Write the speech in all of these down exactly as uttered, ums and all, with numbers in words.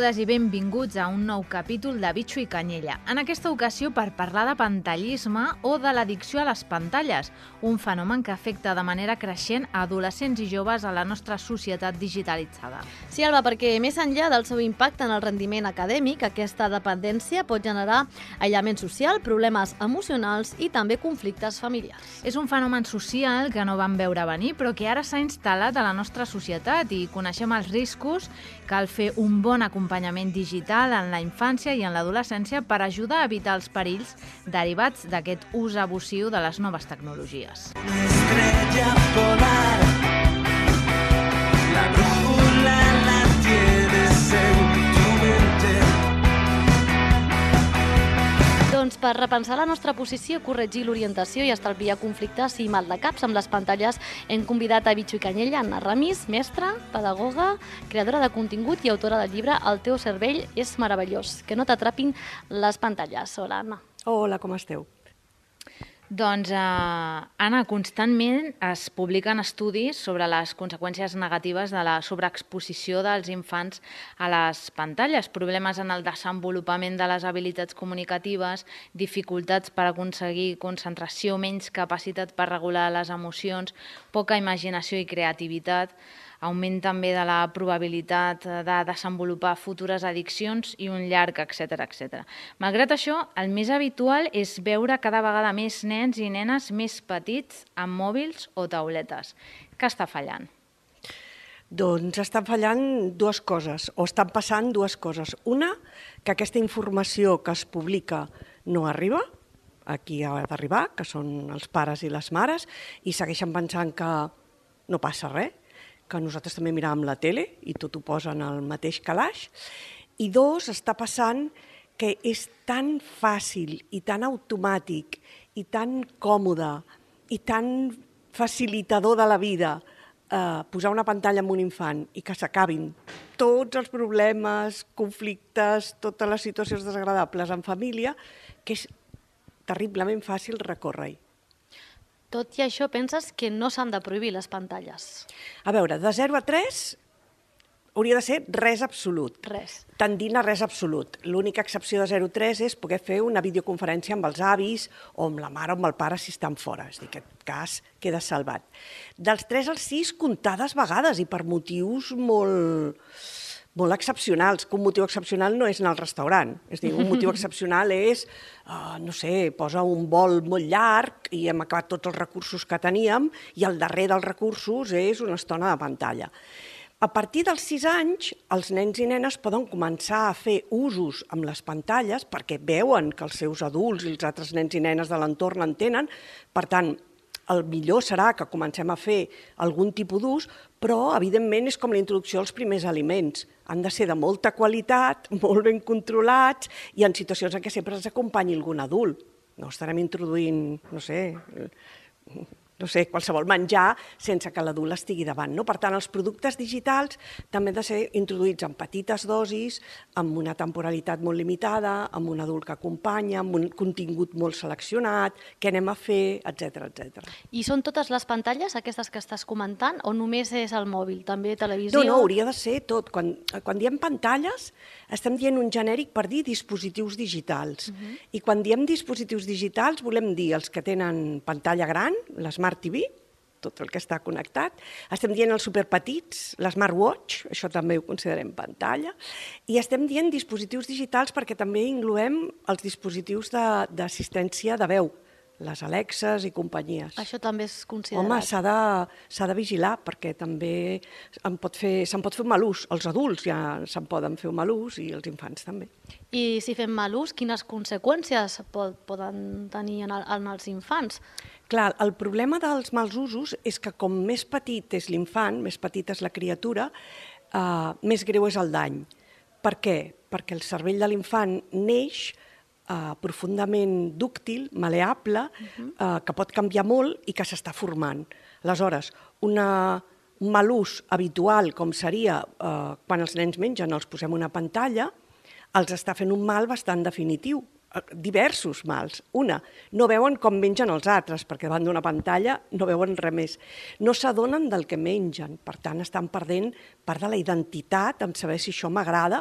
Benvingudes i benvinguts a un nou capítol de Bitxo i Canyella. En aquesta ocasió per parlar de pantallisme o de l'addicció a les pantalles, un fenomen que afecta de manera creixent a adolescents i joves a la nostra societat digitalitzada. Sí, Alba, perquè més enllà del seu impacte en el rendiment acadèmic, aquesta dependència pot generar aïllament social, problemes emocionals i també conflictes familiars. És un fenomen social que no vam veure venir, però que ara s'ha instal·lat a la nostra societat i coneixem els riscos. Cal fer un bon acompanyament digital en la infància i en l'adolescència per ajudar a evitar els perills derivats d'aquest ús abusiu de les noves tecnologies. Estrella polar, la brújula la tienes en tu mente. Doncs per repensar la nostra posició, corregir l'orientació i estalviar conflictes i maldecaps amb les pantalles, hem convidat a Bitxo i Canyella Anna Ramis, mestra, pedagoga, creadora de contingut i autora del llibre El teu cervell és meravellós, que no t'atrapin les pantalles. Hola, Anna. Hola, com esteu? Doncs, eh, Anna, constantment es publiquen estudis sobre les conseqüències negatives de la sobreexposició dels infants a les pantalles, problemes en el desenvolupament de les habilitats comunicatives, dificultats per aconseguir concentració, menys capacitat per regular les emocions, poca imaginació i creativitat, augment també de la probabilitat de desenvolupar futures addiccions i un llarg, etcètera, etcètera. Malgrat això, el més habitual és veure cada vegada més nens i nenes més petits amb mòbils o tauletes. Què està fallant? Doncs estan fallant dues coses, o estan passant dues coses. Una, que aquesta informació que es publica no arriba, aquí ha d'arribar, que són els pares i les mares, i segueixen pensant que no passa res, que nosaltres també miràvem la tele i tot ho posen al mateix calaix. I dos, està passant que és tan fàcil i tan automàtic i tan còmode i tan facilitador de la vida eh, posar una pantalla amb un infant i que s'acabin tots els problemes, conflictes, totes les situacions desagradables en família, que és terriblement fàcil recórrer-hi. Tot i això, penses que no s'han de prohibir les pantalles? A veure, de zero a tres hauria de ser res absolut. Res. Tendint a res absolut. L'única excepció de zero a tres és poder fer una videoconferència amb els avis o amb la mare o amb el pare si estan fora. És a dir, que aquest cas queda salvat. Dels tres als sis, comptades vegades i per motius molt... molt excepcionals, que un motiu excepcional no és anar al restaurant. És a dir, un motiu excepcional és, uh, no sé, posa un vol molt llarg i hem acabat tots els recursos que teníem i el darrer dels recursos és una estona de pantalla. A partir dels sis anys, els nens i nenes poden començar a fer usos amb les pantalles perquè veuen que els seus adults i els altres nens i nenes de l'entorn en tenen. Per tant, el millor serà que comencem a fer algun tipus d'ús, però, evidentment, és com la introducció als primers aliments. Han de ser de molta qualitat, molt ben controlats i en situacions en què sempre ens acompanyi algun adult. No estarem introduint, no sé, no sé, qualsevol menjar sense que l'adult estigui davant. No? Per tant, els productes digitals també han de ser introduïts en petites dosis, amb una temporalitat molt limitada, amb un adult que acompanya, amb un contingut molt seleccionat, què anem a fer, etcètera, etcètera. I són totes les pantalles, aquestes que estàs comentant, o només és el mòbil, també televisió? No, no, hauria de ser tot. Quan, quan diem pantalles, estem dient un genèric per dir dispositius digitals. Uh-huh. I quan diem dispositius digitals, volem dir els que tenen pantalla gran, les Smart T V, tot el que està connectat. Estem dient els superpetits, l'Smartwatch, això també ho considerem pantalla. I estem dient dispositius digitals perquè també incloem els dispositius d'assistència de, de veu, les Alexes i companyies. Això també és considerat. Home, s'ha de, s'ha de vigilar perquè també se'n pot fer, se'n pot fer un mal ús. Els adults ja se'n poden fer un mal ús i els infants també. I si fem mal ús, quines conseqüències pot, poden tenir en, el, en els infants? Clar, el problema dels mals usos és que com més petit és l'infant, més petita és la criatura, eh, més greu és el dany. Per què? Perquè el cervell de l'infant neix eh, profundament dúctil, maleable, uh-huh. eh, que pot canviar molt i que s'està formant. Aleshores, una, un mal ús habitual, com seria eh, quan els nens mengen, els posem una pantalla, els està fent un mal bastant definitiu. Diversos mals. Una, no veuen com mengen els altres, perquè davant d'una pantalla no veuen res més. No s'adonen del que mengen, per tant estan perdent part de la identitat en saber si això m'agrada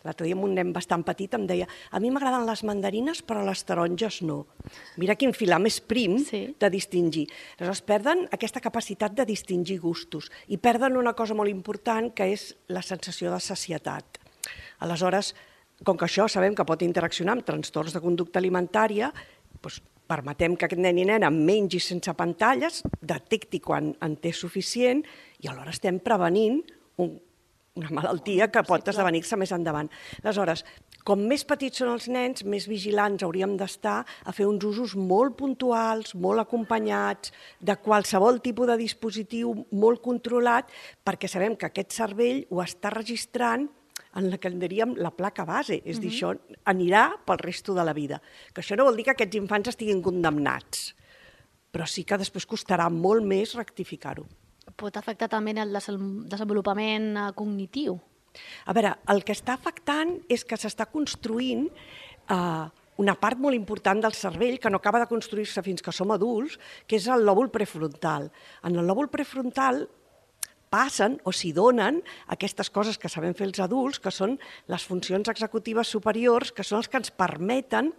L'altre dia un nen bastant petit em deia a mi m'agraden les mandarines però les taronges no. Mira quin filar més prim sí. de distingir. Aleshores perden aquesta capacitat de distingir gustos i perden una cosa molt important que és la sensació de sacietat. Aleshores, com que això sabem que pot interaccionar amb trastorns de conducta alimentària, doncs permetem que aquest nen i nena mengi sense pantalles, detecti quan en té suficient i alhora estem prevenint un, una malaltia que pot sí, esdevenir-se més endavant. Aleshores, com més petits són els nens, més vigilants hauríem d'estar a fer uns usos molt puntuals, molt acompanyats, de qualsevol tipus de dispositiu molt controlat, perquè sabem que aquest cervell ho està registrant en la que en diríem la placa base, és a dir, això anirà pel resto de la vida. Que això no vol dir que aquests infants estiguin condemnats, però sí que després costarà molt més rectificar-ho. Pot afectar també el desenvolupament cognitiu? A veure, el que està afectant és que s'està construint eh, una part molt important del cervell que no acaba de construir-se fins que som adults, que és el lòbul prefrontal. En el lòbul prefrontal passen o s'hi donen aquestes coses que sabem fer els adults, que són les funcions executives superiors, que són els que ens permeten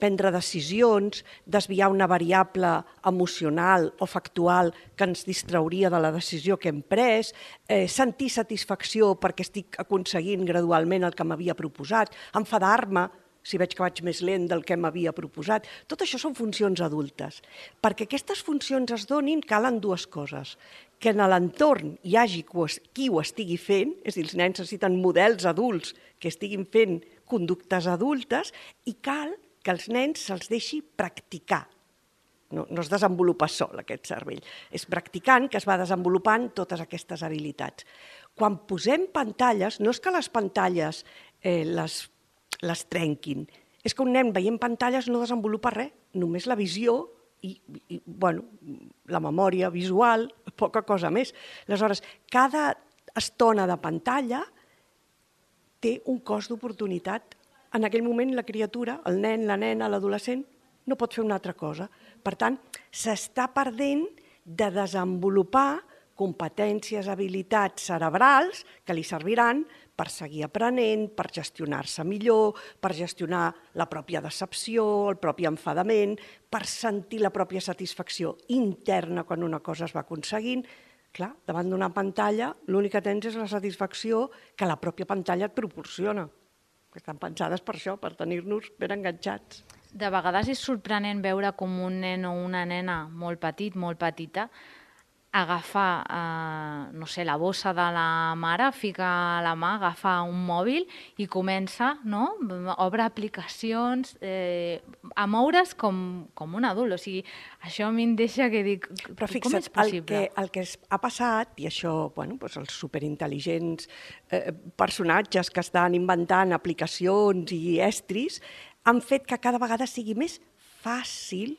prendre decisions, desviar una variable emocional o factual que ens distrauria de la decisió que hem pres, eh, sentir satisfacció perquè estic aconseguint gradualment el que m'havia proposat, enfadar-me si veig que vaig més lent del que m'havia proposat. Tot això són funcions adultes. Perquè aquestes funcions es donin calen dues coses. Que en l'entorn hi hagi qui ho estigui fent, és a dir, els nens necessiten models adults que estiguin fent conductes adultes i cal que els nens se'ls deixi practicar. No, no es desenvolupa sol aquest cervell. És practicant que es va desenvolupant totes aquestes habilitats. Quan posem pantalles, no és que les pantalles eh, les les trenquin. És que un nen veient pantalles no desenvolupa res, només la visió i, i bueno, la memòria visual, poca cosa més. Aleshores, cada estona de pantalla té un cost d'oportunitat. En aquell moment la criatura, el nen, la nena, l'adolescent, no pot fer una altra cosa. Per tant, s'està perdent de desenvolupar competències, habilitats cerebrals que li serviran per seguir aprenent, per gestionar-se millor, per gestionar la pròpia decepció, el propi enfadament, per sentir la pròpia satisfacció interna quan una cosa es va aconseguint. Clar, davant d'una pantalla l'únic que tens és la satisfacció que la pròpia pantalla et proporciona. Estan pensades per això, per tenir-nos ben enganxats. De vegades és sorprenent veure com un nen o una nena molt petit, molt petita, agafar, eh, no sé, la bossa de la mare, fica la mà, agafa un mòbil i comença, no?, obre aplicacions, eh, a moure's com, com un adult. O sigui, això a mi em deixa que dic, però fixa't, com és possible? El que, el que ha passat, i això, bueno, doncs els superintel·ligents eh, personatges que estan inventant aplicacions i estris, han fet que cada vegada sigui més fàcil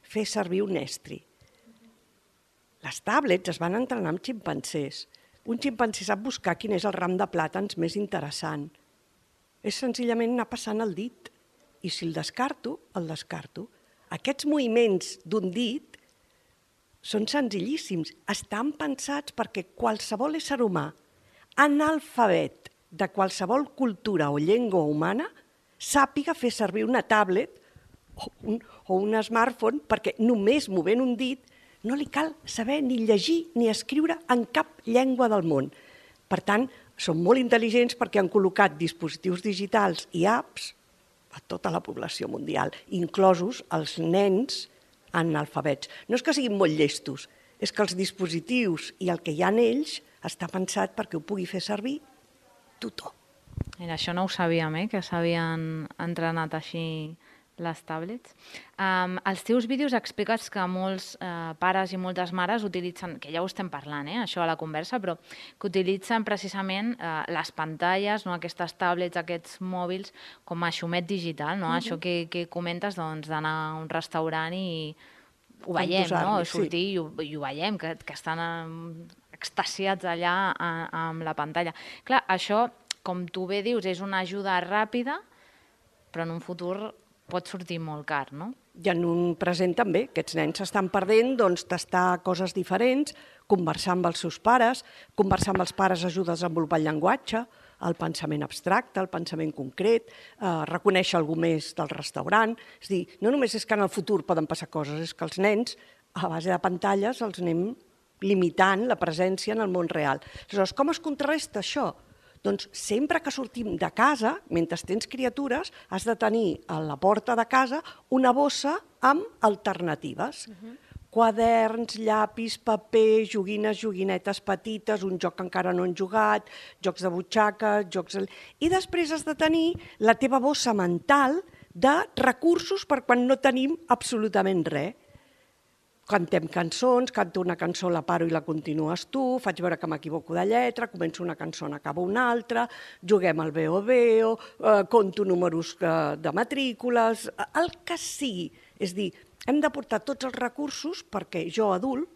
fer servir un estri. Les tablets es van entrenar amb ximpancers. Un ximpancé sap buscar quin és el ram de plàtans més interessant. És senzillament anar passant el dit. I si el descarto, el descarto. Aquests moviments d'un dit són senzillíssims. Estan pensats perquè qualsevol ésser humà, analfabet de qualsevol cultura o llengua humana, sàpiga fer servir una tablet o un, o un smartphone perquè només movent un dit no li cal saber ni llegir ni escriure en cap llengua del món. Per tant, són molt intel·ligents perquè han col·locat dispositius digitals i apps a tota la població mundial, inclosos els nens analfabets. No és que siguin molt llestos, és que els dispositius i el que hi ha en ells està pensat perquè ho pugui fer servir tothom. Mira, això no ho sabíem, eh? Que s'havien entrenat així les tablets. Um, als teus vídeos expliques que molts uh, pares i moltes mares utilitzen, que ja ho estem parlant, eh, això a la conversa, però que utilitzen precisament uh, les pantalles, no, aquestes tablets, aquests mòbils, com a xumet digital, no? Uh-huh. Això que, que comentes, doncs, d'anar a un restaurant i ho veiem, no? Sortir sí. i, ho, i ho veiem, que, que estan um, extasiats allà a, amb la pantalla. Clar, això, com tu bé dius, és una ajuda ràpida, però en un futur pot sortir molt car, no? I en un present també. Aquests nens s'estan perdent, doncs, tastar coses diferents, conversar amb els seus pares, conversar amb els pares ajuda a desenvolupar el llenguatge, el pensament abstracte, el pensament concret, eh, reconèixer algú més del restaurant. És a dir, no només és que en el futur poden passar coses, és que els nens, a base de pantalles, els anem limitant la presència en el món real. Aleshores, com es contrarresta això? Doncs sempre que sortim de casa, mentre tens criatures, has de tenir a la porta de casa una bossa amb alternatives. Uh-huh. Quaderns, llapis, paper, joguines, joguinetes petites, un joc que encara no han jugat, jocs de butxaca, jocs... I després has de tenir la teva bossa mental de recursos per quan no tenim absolutament res. Cantem cançons, canto una cançó, la paro i la continues tu, faig veure que m'equivoco de lletra, començo una cançó, n'acabo una altra, juguem al Veo Veo, eh, conto números eh, de matrícules, el que sigui. És dir, hem de portar tots els recursos perquè jo, adult,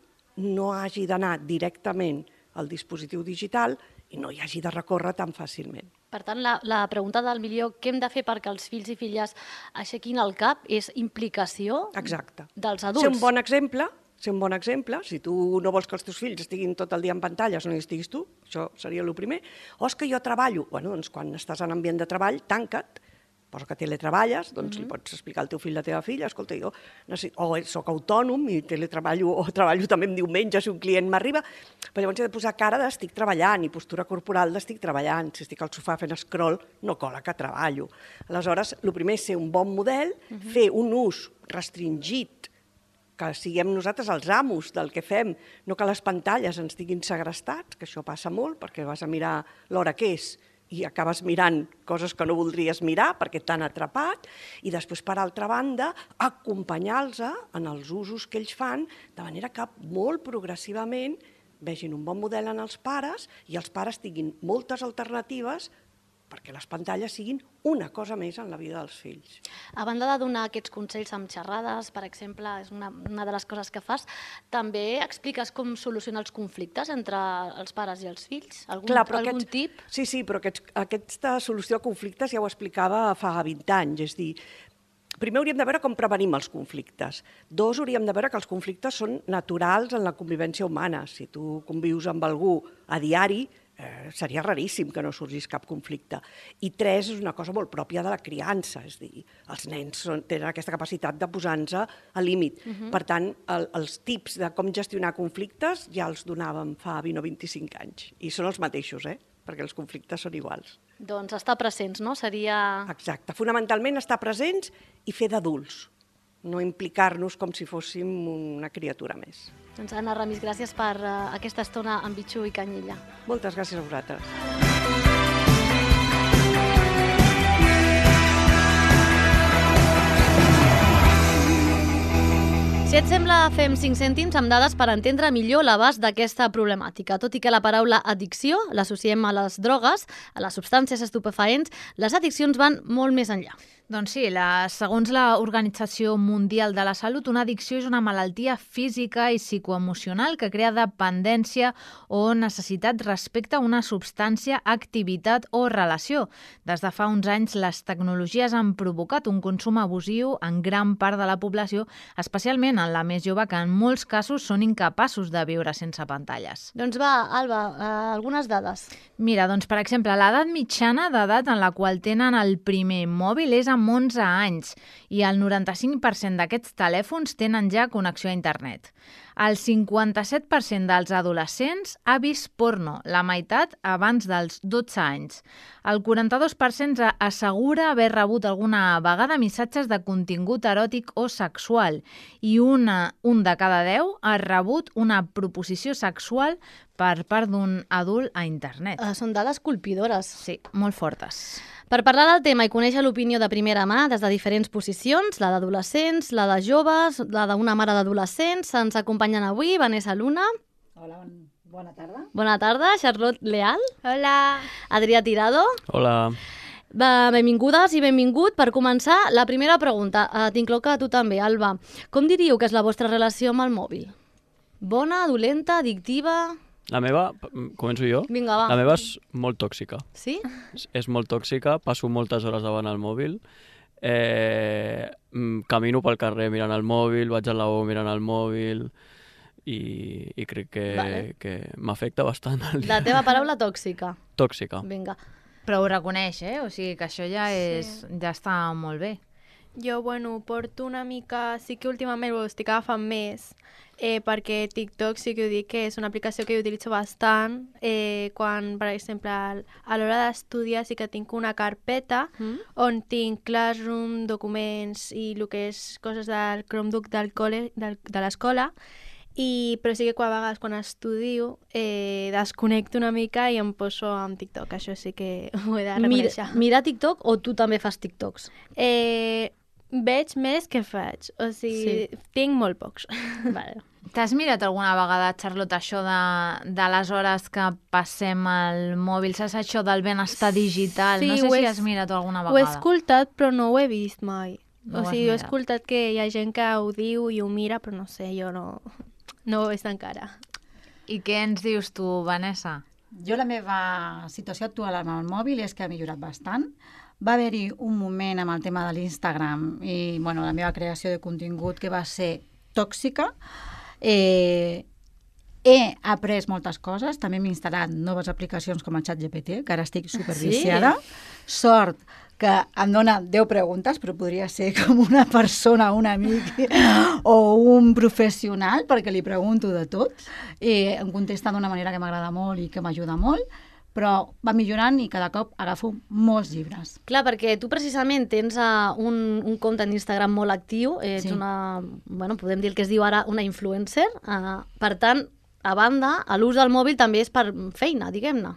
no hagi d'anar directament al dispositiu digital i no hi hagi de recórrer tan fàcilment. Per tant, la, la pregunta del milió, què hem de fer perquè els fills i filles aixequin el cap, és implicació Exacte. dels adults. Ser un bon exemple, ser un bon exemple, si tu no vols que els teus fills estiguin tot el dia en pantalles, no hi estiguis tu, això seria el primer, o és que jo treballo, bueno, doncs quan estàs en ambient de treball, tanca't, posa que teletreballes, doncs mm-hmm. li pots explicar al teu fill, a la teva filla, escolta, jo necessito, o soc autònom i teletreballo, o treballo també en diumenge si un client m'arriba, però llavors he de posar cara d'estic treballant i postura corporal d'estic treballant. Si estic al sofà fent scroll, no cola que treballo. Aleshores, el primer és ser un bon model, mm-hmm. fer un ús restringit, que siguem nosaltres els amos del que fem, no que les pantalles ens diguin segrestats, que això passa molt, perquè vas a mirar l'hora que és, i acabes mirant coses que no voldries mirar perquè t'han atrapat, i després, per altra banda, acompanyar-los en els usos que ells fan, de manera que molt progressivament vegin un bon model en els pares i els pares tinguin moltes alternatives perquè les pantalles siguin una cosa més en la vida dels fills. A banda de donar aquests consells amb xerrades, per exemple, és una, una de les coses que fas, també expliques com solucionar els conflictes entre els pares i els fills? Algun, Clar, algun aquests, tip? Sí, sí, però aquests, aquesta solució a conflictes ja ho explicava fa vint anys, és dir, primer hauríem de veure com prevenim els conflictes. Dos, hauríem de veure que els conflictes són naturals en la convivència humana. Si tu convius amb algú a diari, Eh, seria raríssim que no sorgís cap conflicte. I tres, és una cosa molt pròpia de la criança, és dir, els nens són, tenen aquesta capacitat de posar-nos al límit. Uh-huh. Per tant, el, els tips de com gestionar conflictes ja els donàvem fa vint o vint-i-cinc anys. I són els mateixos, eh? Perquè els conflictes són iguals. Doncs estar presents, no? Seria... Exacte. Fonamentalment, estar presents i fer d'adults. No implicar-nos com si fóssim una criatura més. Doncs Anna Ramis, gràcies per uh, aquesta estona amb Bitxo i Canyella. Moltes gràcies a vosaltres. Si et sembla, fem cinc cèntims amb dades per entendre millor l'abast d'aquesta problemàtica. Tot i que la paraula addicció l'associem a les drogues, a les substàncies estupefaents, les addiccions van molt més enllà. Doncs sí, la, segons l'Organització Mundial de la Salut, una addicció és una malaltia física i psicoemocional que crea dependència o necessitat respecte a una substància, activitat o relació. Des de fa uns anys, les tecnologies han provocat un consum abusiu en gran part de la població, especialment en la més jove, que en molts casos són incapaços de viure sense pantalles. Doncs va, Alba, eh, algunes dades. Mira, doncs per exemple, l'edat mitjana d'edat en la qual tenen el primer mòbil és amb onze anys i el noranta-cinc per cent d'aquests telèfons tenen ja connexió a internet. El cinquanta-set per cent dels adolescents ha vist porno, la meitat abans dels dotze anys. El quaranta-dos per cent assegura haver rebut alguna vegada missatges de contingut eròtic o sexual i una, un de cada deu ha rebut una proposició sexual per part d'un adult a internet. Uh, són dades colpidores. Sí, molt fortes. Per parlar del tema i conèixer l'opinió de primera mà des de diferents posicions, la d'adolescents, la de joves, la d'una mare d'adolescents, ens acompanyen avui Vanessa Luna. Hola, bona tarda. Bona tarda, Charlotte Leal. Hola. Adrià Tirado. Hola. Benvingudes i benvingut. Per començar, la primera pregunta, uh, t'incloc a tu també, Alba. Com diríeu que és la vostra relació amb el mòbil? Bona, dolenta, addictiva? La meva, començo jo? Vinga, va. La meva és molt tòxica. Sí? És, és molt tòxica, passo moltes hores davant el mòbil, eh, camino pel carrer mirant el mòbil, vaig a la U mirant el mòbil i, i crec que, vale. que m'afecta bastant el dia. La teva paraula tòxica. Tòxica. Vinga. Però ho reconeix, eh? O sigui que això ja, és, Sí. ja està molt bé. Jo, bueno, porto una mica... Sí que últimament ho estic agafant més, eh, perquè TikTok sí que ho dic que és una aplicació que jo utilitzo bastant. Eh, quan, per exemple, al- a l'hora d'estudiar sí que tinc una carpeta Mm? on tinc Classroom, documents i el que és coses del Chromebook del col·le, del, de l'escola, i, però sí que quan, a vegades quan estudio eh, desconnecto una mica i em poso amb TikTok, això sí que ho he de Mira, reconèixer. mira TikTok o tu també fas TikToks? Eh, veig més que faig, o sigui, sí. tinc molt pocs. Vale. T'has mirat alguna vegada, Charlotte, això de, de les hores que passem al mòbil? Saps això del benestar digital? Sí, no sé ho si he- has mirat alguna Ho he vegada. escoltat, però no ho he vist mai. No ho o has sigui, he mirat. escoltat que hi ha gent que ho diu i ho mira, però no sé, jo no, no ho he vist encara. I què ens dius tu, Vanessa? Jo la meva situació actual amb el mòbil és que ha millorat bastant. Va haver-hi un moment amb el tema de l'Instagram i bueno, la meva creació de contingut que va ser tòxica. Eh, he après moltes coses, també m'he instal·lat noves aplicacions com el ChatGPT, que ara estic superviciada. Sí. Sort que em dona deu preguntes, però podria ser com una persona, un amic o un professional, perquè li pregunto de tot. I em contesta d'una manera que m'agrada molt i que m'ajuda molt, però va millorant i cada cop agafo molts llibres. Clar, perquè tu precisament tens uh, un, un compte en Instagram molt actiu, ets Sí. una, bueno, podem dir el que es diu ara una influencer, uh, per tant, a banda, l'ús del mòbil també és per feina, diguem-ne.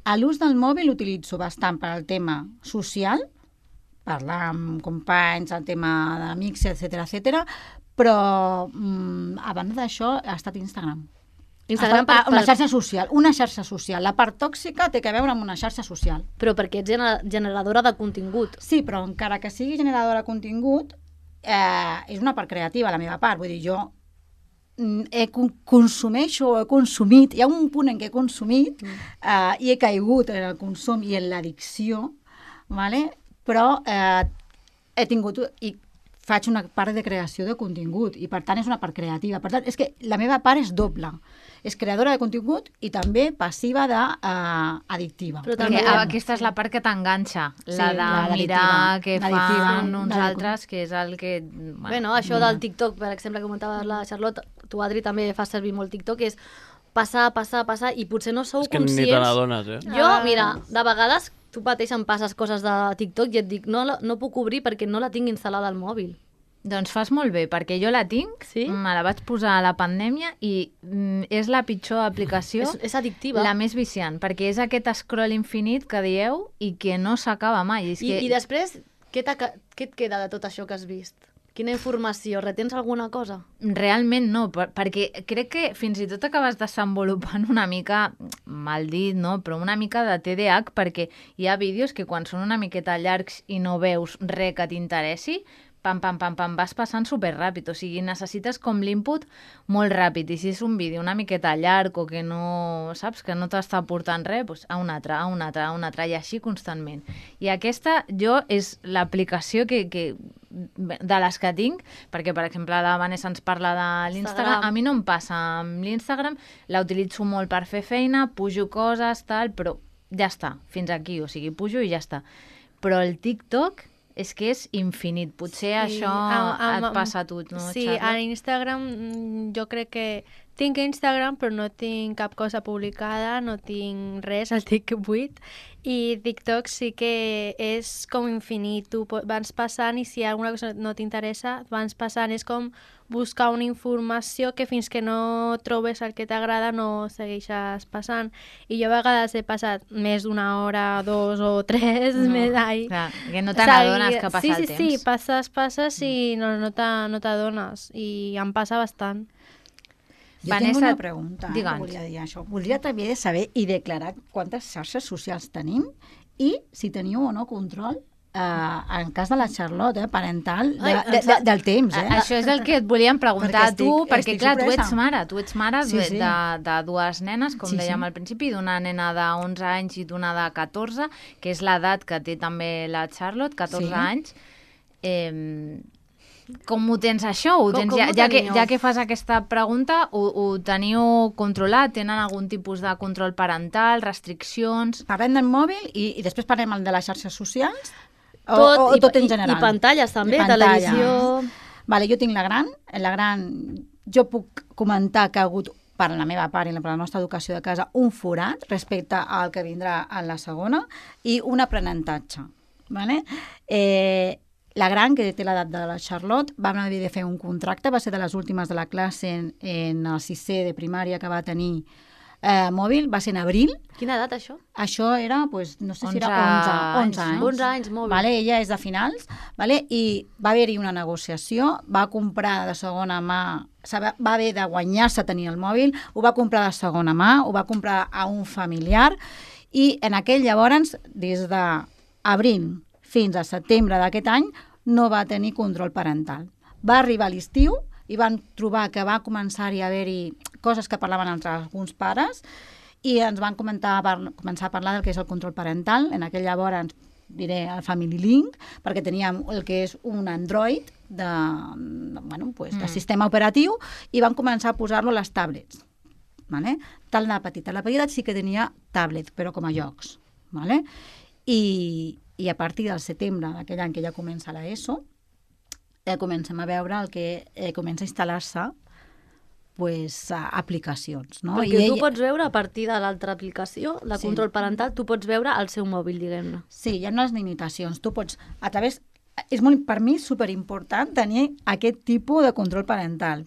A l'ús del mòbil l'utilitzo bastant per al tema social, parlar amb companys, el tema d'amics, etcètera, etcètera, però mm, a banda d'això ha estat Instagram. Instagram per, Ah, una per, xarxa social, una xarxa social. La part tòxica té que veure amb una xarxa social. però perquè ets gener- generadora de contingut. Sí, però encara que sigui generadora de contingut, eh, és una part creativa, la meva part. Vull dir, jo mm, he, con- consumeixo o he consumit, hi ha un punt en què he consumit mm. eh, i he caigut en el consum i en l'addicció, vale? Però eh, he tingut i faig una part de creació de contingut i per tant és una part creativa. Per tant, és que la meva part és doble. És creadora de contingut i també passiva d'addictiva. Però Perquè també- aquesta és la part que t'enganxa, la Sí, de la de mirar l'addictiva. què L'addictiva, fan uns la de- altres, que és el que... Bueno, Bueno, això del TikTok, per exemple, que comentaves la Charlotte, tu, Adri, també fas servir molt TikTok, és passar, passar, passar, i potser no sou És que ni conscients... te n'adones, eh? Jo, Ah. mira, de vegades tu mateix em passes coses de TikTok i et dic, no, la- no puc obrir perquè no la tinc instal·lada al mòbil. Doncs fas molt bé, perquè jo la tinc, Sí? me la vaig posar a la pandèmia i mm, és la pitjor aplicació, És, és addictiva. la més viciant, perquè és aquest scroll infinit que dieu i que no s'acaba mai. És I, que... I després, què, t'ha- què et queda de tot això que has vist? Quina informació? Retens alguna cosa? Realment no, per- perquè crec que fins i tot acabes desenvolupant una mica, mal dit, no? Però una mica de T D A H, perquè hi ha vídeos que quan són una miqueta llargs i no veus res que t'interessi, pam, pam, pam, pam, vas passant superràpid. O sigui, necessites com l'input molt ràpid. I si és un vídeo una miqueta llarg o que no, saps, que no t'està aportant res, doncs a un altre, a un altre, a un altre, i així constantment. I aquesta, jo, és l'aplicació que, que de les que tinc, perquè, per exemple, la Vanessa ens parla de l'Instagram, Instagram. a mi no em passa amb l'Instagram, la utilitzo molt per fer feina, pujo coses, tal, però ja està, fins aquí, o sigui, pujo i ja està. Però el TikTok és que és infinit, potser sí, això am- am- et passa a tu, no, Sí, Charlotte? a Instagram mm, jo crec que tinc Instagram però no tinc cap cosa publicada, no tinc res, el tinc buit, i TikTok sí que és com infinit, tu po- vas passant i si alguna cosa no t'interessa, vas passant, és com buscar una informació que fins que no trobes el que t'agrada no segueixes passant. I jo a vegades he passat més d'una hora, dos o tres, No, més ai. clar, que no te n'adones que passa sí, el sí, temps. Sí, passes, passes i no, no te- no t'adones. I em passa bastant. Jo Vanessa, tinc una pregunta, eh, que digue'ns. volia dir això. Voldria també saber i declarar quantes xarxes socials tenim i si teniu o no control eh, en cas de la Charlotte, eh, parental, de, Ai, de, de, del temps, eh? A- Això és el que et volíem preguntar Perquè a tu, estic- perquè estic clar, tu sorpresa. ets mare, tu ets mare Sí, de, sí. de, de dues nenes, com Sí, dèiem sí. al principi, d'una nena d'onze anys i d'una de catorze, que és l'edat que té també la Charlotte, catorze Sí. anys. Eh, Com ho tens això? Ho Com- tens, com ja, ho ja, que, teniu? ja que fas aquesta pregunta, ho, ho teniu controlat? Tenen algun tipus de control parental, restriccions? Parlem del mòbil i, i després parlem el de les xarxes socials? O, Tot, o, o i, tot en i- general? I pantalles també, I pantalles. televisió... Vale, jo tinc la gran. La gran, jo puc comentar que ha hagut, per la meva part i per la nostra educació de casa, un forat respecte al que vindrà en la segona i un aprenentatge. Vale? Eh, la gran, que té l'edat de la Charlotte, vam haver de fer un contracte, va ser de les últimes de la classe en, en el sisè de primària que va tenir eh, mòbil, va ser en abril. Quina edat, això? Això era, pues, no sé si era onze onze, onze anys, anys. no? onze anys, mòbil. Vale, ella és de finals, vale? I va haver-hi una negociació, va comprar de segona mà, se va va haver de guanyar-se tenir el mòbil, ho va comprar de segona mà, ho va comprar a un familiar, i en aquell llavors, des d'abril fins a setembre d'aquest any, no va tenir control parental. Va arribar a l'estiu i van trobar que va començar-hi a haver-hi coses que parlaven entre alguns pares i ens van comentar, par començar a parlar del que és el control parental. En aquell llavors diré el Family Link, perquè teníem el que és un Android de, bueno, pues, de Mm. sistema operatiu i van començar a posar-lo a les tablets. Vale? Tal la petita. La petita sí que tenia tablet, però com a jocs. Vale? I, I a partir del setembre d'aquell any que ja comença l'ESO, eh, comencem a veure el que eh, comença a instal·lar-se pues, a aplicacions. No? Perquè I tu ell- pots veure a partir de l'altra aplicació, de Sí. control parental, tu pots veure el seu mòbil, diguem-ne. Sí, hi ha unes limitacions. Tu pots, a través... És molt, per mi superimportant tenir aquest tipus de control parental,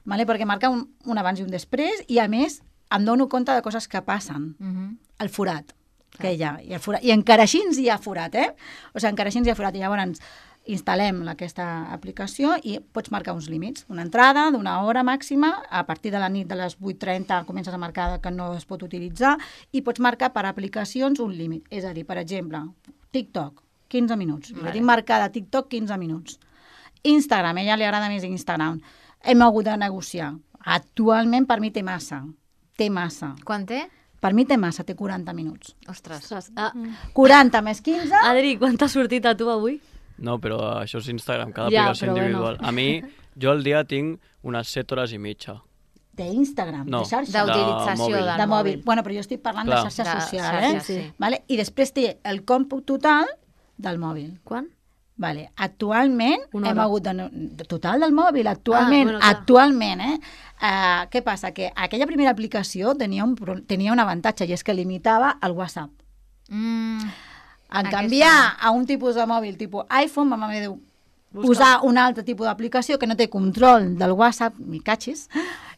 vale? Perquè marca un, un abans i un després i, a més, em dono compte de coses que passen. Uh -huh. El forat que hi ha. I, el forat, i encara així hi ha forat, eh? O sigui, encara així hi ha forat. I llavors instal·lem aquesta aplicació i pots marcar uns límits. Una entrada d'una hora màxima, a partir de la nit de les vuit trenta comences a marcar que no es pot utilitzar i pots marcar per aplicacions un límit. És a dir, per exemple, TikTok, quinze minuts. Vale. Jo tinc marcada TikTok quinze minuts. Instagram, a ella li agrada més Instagram. Hem hagut de negociar. Actualment per mi té massa. Té massa. Quan té? Per mi té massa, té quaranta minuts. Ostres. Ostres, ah, quaranta més quinze... Adri, quant t'ha sortit a tu avui? No, però això és Instagram, cada Ja, aplicació però bueno. individual. A mi, jo al dia tinc unes set hores i mitja. D'Instagram, No. de xarxa. D'utilització mòbil. del De mòbil. mòbil. Bueno, però jo estic parlant Clar. de xarxa De social, xarxes, eh? sí. Vale? I després té el còmput total del mòbil. Quan? Vale. Actualment Una hem hora. hagut de, de total del mòbil, actualment, Ah, bueno, clar. actualment, eh? Uh, què passa? Que aquella primera aplicació tenia un, pro- tenia un avantatge i és que limitava el WhatsApp. Mm. En Aquesta- canviar a un tipus de mòbil tipus iPhone vam haver de posar un altre tipus d'aplicació que no té control del WhatsApp, mi catxis,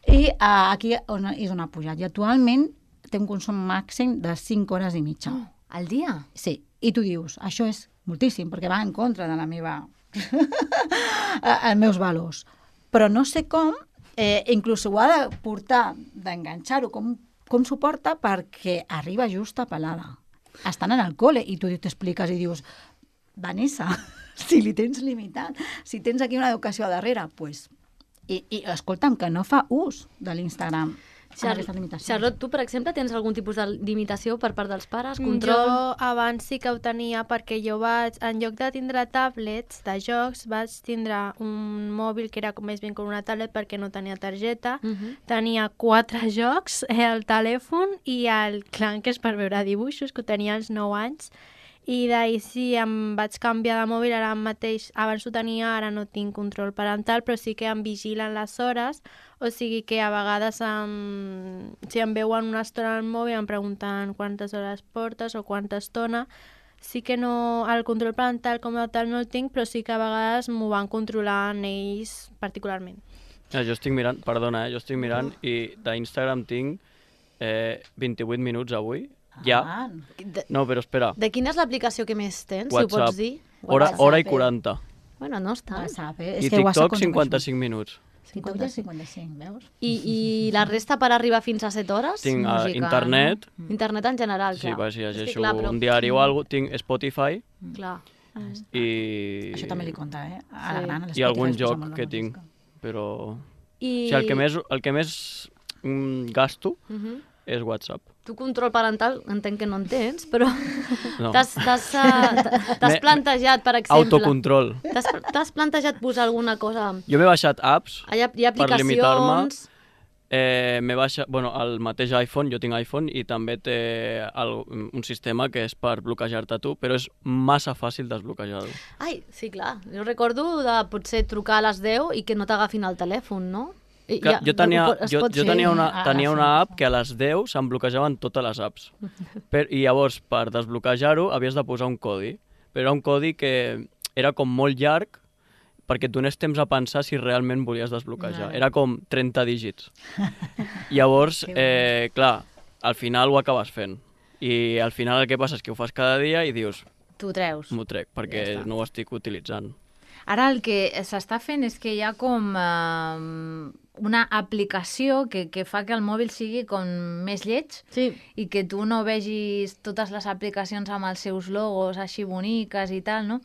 i uh, aquí on, és on ha pujat. I actualment té un consum màxim de cinc hores i mitja. Oh, al dia? Sí, i tu dius, això és moltíssim, perquè va en contra de la meva... els meus valors. Però no sé com, eh, inclús ho ha de portar, d'enganxar-ho, com, com s'ho porta perquè arriba just a pelada. Estan en el col·le i tu t'expliques i dius, Vanessa, si li tens limitat, si tens aquí una educació a darrere, pues, i, i escolta'm, que no fa ús de l'Instagram. Char aquestes limitacions. Charlotte, tu, per exemple, tens algun tipus de limitació per part dels pares? Control? Jo abans sí que ho tenia perquè jo vaig, en lloc de tindre tablets de jocs, vaig tindre un mòbil que era com més ben com una tablet perquè no tenia targeta. Uh -huh. Tenia quatre jocs, eh, el telèfon i el clan, que és per veure dibuixos, que ho tenia als nou anys. I d'ahir sí, em vaig canviar de mòbil, ara mateix, abans ho tenia, ara no tinc control parental, però sí que em vigilen les hores, o sigui que a vegades em, si em veuen una estona al mòbil em pregunten quantes hores portes o quanta estona. Sí que no, el control parental com a tal no el tinc, però sí que a vegades m'ho van controlant ells particularment. Ja, jo estic mirant, perdona, eh, jo estic mirant i d'Instagram tinc eh, vint-i-vuit minuts avui. Ja. Ah, De, No, però espera. de quina és l'aplicació que més tens, si ho WhatsApp. pots dir? Hora, WhatsApp, hora i eh? quaranta. Bueno, no està. WhatsApp, eh? I És que WhatsApp TikTok consumeix cinquanta-cinc minuts. TikTok ja cinquanta-cinc, veus? I, I la resta per arribar fins a set hores? Tinc uh, música, internet, Internet en general, sí, clar. va, si És que, llegeixo clar, però- un diari o alguna cosa, tinc Spotify Clar. i, Això també li compta, eh? A la Sí. gran, a i l'Spotify algun es posa joc molt la que música. tinc, però... I... O sigui, el que més, el que més mm, gasto Uh -huh. és WhatsApp. Tu control parental entenc que no en tens, però No. t'has t'has, uh, t'has Me- plantejat, per exemple... Autocontrol. T'has t'has plantejat posar alguna cosa... Jo m'he baixat apps Hi ha, hi ha per limitar-me. aplicacions... Eh, m'he baixat, bueno, el mateix iPhone, jo tinc iPhone i també té el, un sistema que és per bloquejar-te tu, però és massa fàcil desbloquejar-ho. Ai, sí, clar. Jo recordo de potser trucar a les deu i que no t'agafin el telèfon, no? I, Que, jo tenia, es jo, pot jo fer. tenia una, Ah, tenia sí. una app que a les deu se'm bloquejaven totes les apps. Per, I llavors, per desbloquejar-ho, havies de posar un codi. Però era un codi que era com molt llarg perquè et donés temps a pensar si realment volies desbloquejar. Vale. Era com trenta dígits. Llavors, eh, clar, al final ho acabes fent. I al final el que passa és que ho fas cada dia i dius, Tu treus. m'ho trec, perquè Ja està. no ho estic utilitzant. Ara el que s'està fent és que hi ha com eh, una aplicació que, que fa que el mòbil sigui com més lleig Sí. i que tu no vegis totes les aplicacions amb els seus logos així boniques i tal, no?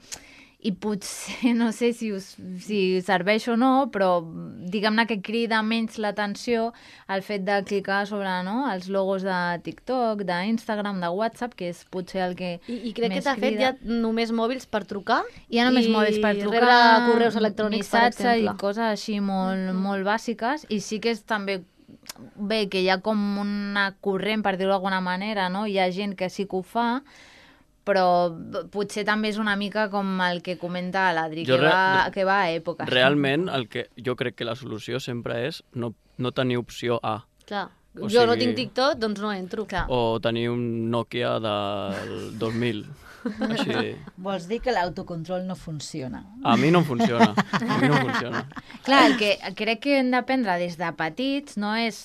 I potser, no sé si, us, si serveix o no, però diguem-ne que crida menys l'atenció el fet de clicar sobre, no?, els logos de TikTok, d'Instagram, de WhatsApp, que és potser el que I, I crec que més t'ha fet ja crida. només mòbils per trucar. Hi ha només i mòbils per trucar, rebre correus electrònics, per missatge exemple. i coses així molt, molt bàsiques, i sí que és també bé que hi ha com una corrent, per dir-ho d'alguna manera, no? Hi ha gent que sí que ho fa, però potser també és una mica com el que comenta l'Adri, Jo que, re- va, que va a èpoques. Realment, el que jo crec que la solució sempre és no, no tenir opció A. Clar. O Jo no sigui- tinc TikTok, doncs no entro. Clar. O tenir un Nokia del dos mil. Així. Vols dir que l'autocontrol no funciona? A mi no em funciona. A mi no em funciona. Clar, el que crec que hem d'aprendre des de petits no és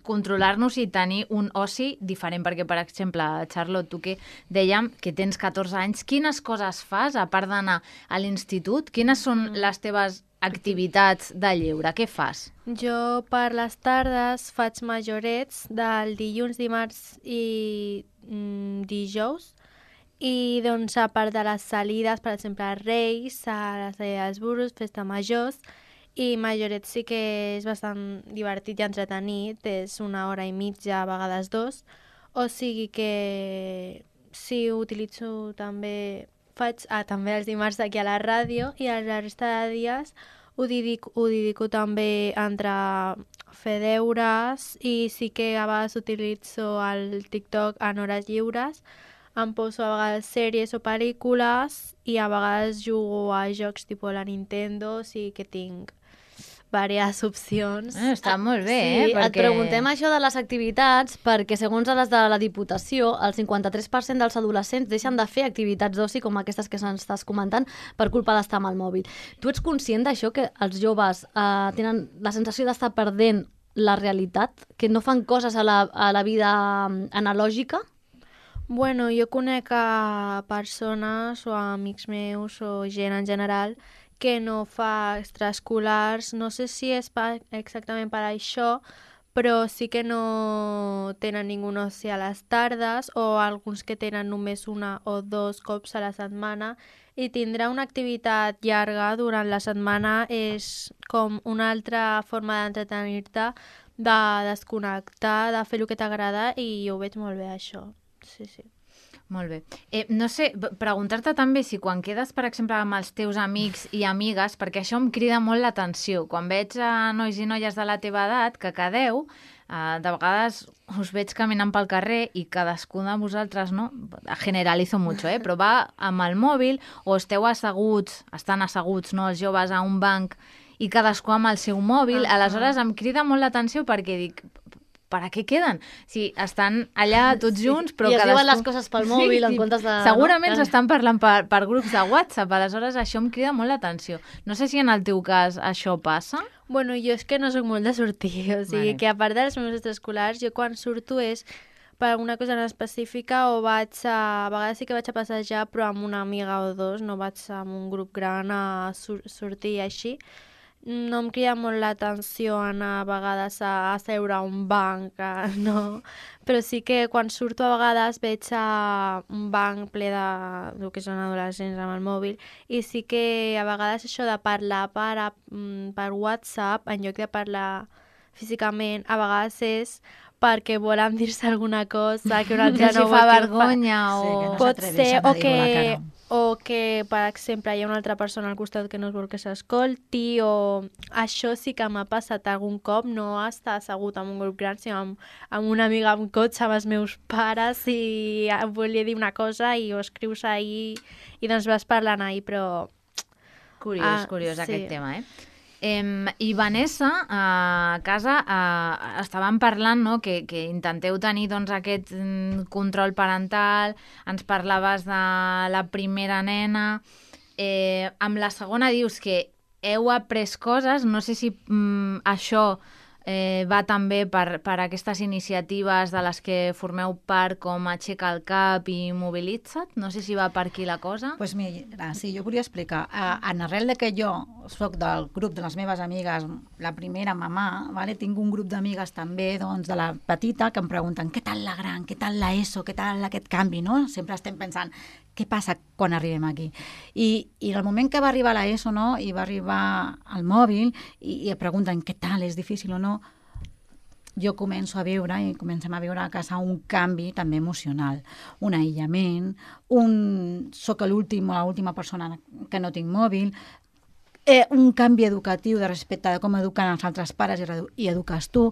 controlar-nos i tenir un oci diferent, perquè, per exemple, Charlotte, tu que dèiem que tens catorze anys, quines coses fas, a part d'anar a l'institut? Quines són les teves activitats de lleure? Què fas? Jo per les tardes faig majorets del dilluns, dimarts i mm, dijous. I doncs a part de les salides, per exemple, a Reis, a la Salla dels Burros, Festa Majors, i Majoret sí que és bastant divertit i entretenit, és una hora i mitja, a vegades dos, o sigui que sí, utilitzo també, faig ah, també els dimarts aquí a la ràdio i a la resta de dies ho dedico, ho dedico també entre fer deures i sí que a vegades utilitzo el TikTok en hores lliures, em poso a vegades sèries o pel·lícules i a vegades jugo a jocs tipus la Nintendo, o sigui que tinc diverses opcions. Eh, està molt bé, Sí, eh? et preguntem això de les activitats perquè, segons les de la Diputació, el cinquanta-tres per cent dels adolescents deixen de fer activitats d'oci com aquestes que se'ns estàs comentant per culpa d'estar amb el mòbil. Tu ets conscient d'això, que els joves eh, tenen la sensació d'estar perdent la realitat, que no fan coses a la, a la vida mm, analògica? Bueno, jo conec a persones o a amics meus o gent en general que no fa extraescolars, no sé si és pa, exactament per això, però sí que no tenen ningú oci a les tardes o alguns que tenen només una o dos cops a la setmana i tindrà una activitat llarga durant la setmana és com una altra forma d'entretenir-te, de desconnectar, de fer el que t'agrada i jo ho veig molt bé això. Sí, sí. Molt bé. Eh, no sé, p- preguntar-te també si quan quedes, per exemple, amb els teus amics i amigues, perquè això em crida molt l'atenció. Quan veig a nois i noies de la teva edat que quedeu, eh, de vegades us veig caminant pel carrer i cadascú de vosaltres, no? Generalizo mucho, eh? Però va amb el mòbil o esteu asseguts, estan asseguts, no?, els joves a un banc i cadascú amb el seu mòbil. Ah. Aleshores em crida molt l'atenció perquè dic, per a què queden? Si estan allà tots Sí. junts, però I es cadascú... diuen les coses pel mòbil en comptes de- Segurament no? s'estan parlant per, per grups de WhatsApp, aleshores això em crida molt l'atenció. No sé si en el teu cas això passa. Bueno, jo és que no sóc molt de sortir, o sigui Vale. que a part dels meus extraescolars, jo quan surto és per alguna cosa en específica o vaig a... A vegades sí que vaig a passejar, però amb una amiga o dos, no vaig amb un grup gran a sur sortir i així. No em crida molt l'atenció anar a vegades a, a seure a un banc, a, no. Però sí que quan surto a vegades veig a un banc ple de, del que són adolescents amb el mòbil i sí que a vegades això de parlar per, a- mm, per WhatsApp en lloc de parlar físicament a vegades és perquè volen dir-se alguna cosa que una altra Si no fa vol que vergonya Sí, que o... no Pot s'atreveixen ser, a o dir-ho a la que, cara. o que, per exemple, hi ha una altra persona al costat que no es vol que s'escolti, o això sí que m'ha passat algun cop, no estar assegut en un grup gran, sinó amb, amb una amiga amb cotxe, amb els meus pares, i em volia dir una cosa i ho escrius ahir i doncs vas parlant ahir, però... Curiós, Ah, curiós sí. aquest tema, eh? Em, I Vanessa, a casa, eh, estàvem parlant, no?, que, que intenteu tenir doncs, aquest mm, control parental, ens parlaves de la primera nena, eh, amb la segona dius que heu après coses, no sé si mm, això eh, va també per, per aquestes iniciatives de les que formeu part, com Aixeca el cap i Mobilitza't, no sé si va per aquí la cosa. Pues mira, sí, jo volia explicar. Uh, en arrel de que jo soc del grup de les meves amigues, la primera mamà, vale? Tinc un grup d'amigues també doncs, de la petita que em pregunten què tal la gran, què tal la ESO, què tal aquest canvi, no? Sempre estem pensant què passa quan arribem aquí. I, i en el moment que va arribar la ESO, no?, i va arribar al mòbil i, i et pregunten què tal, és difícil o no, jo començo a viure i comencem a viure a casa un canvi també emocional, un aïllament, un... soc l'últim o l'última persona que no tinc mòbil, eh, un canvi educatiu de respecte de com eduquen els altres pares i, redu- i eduques tu,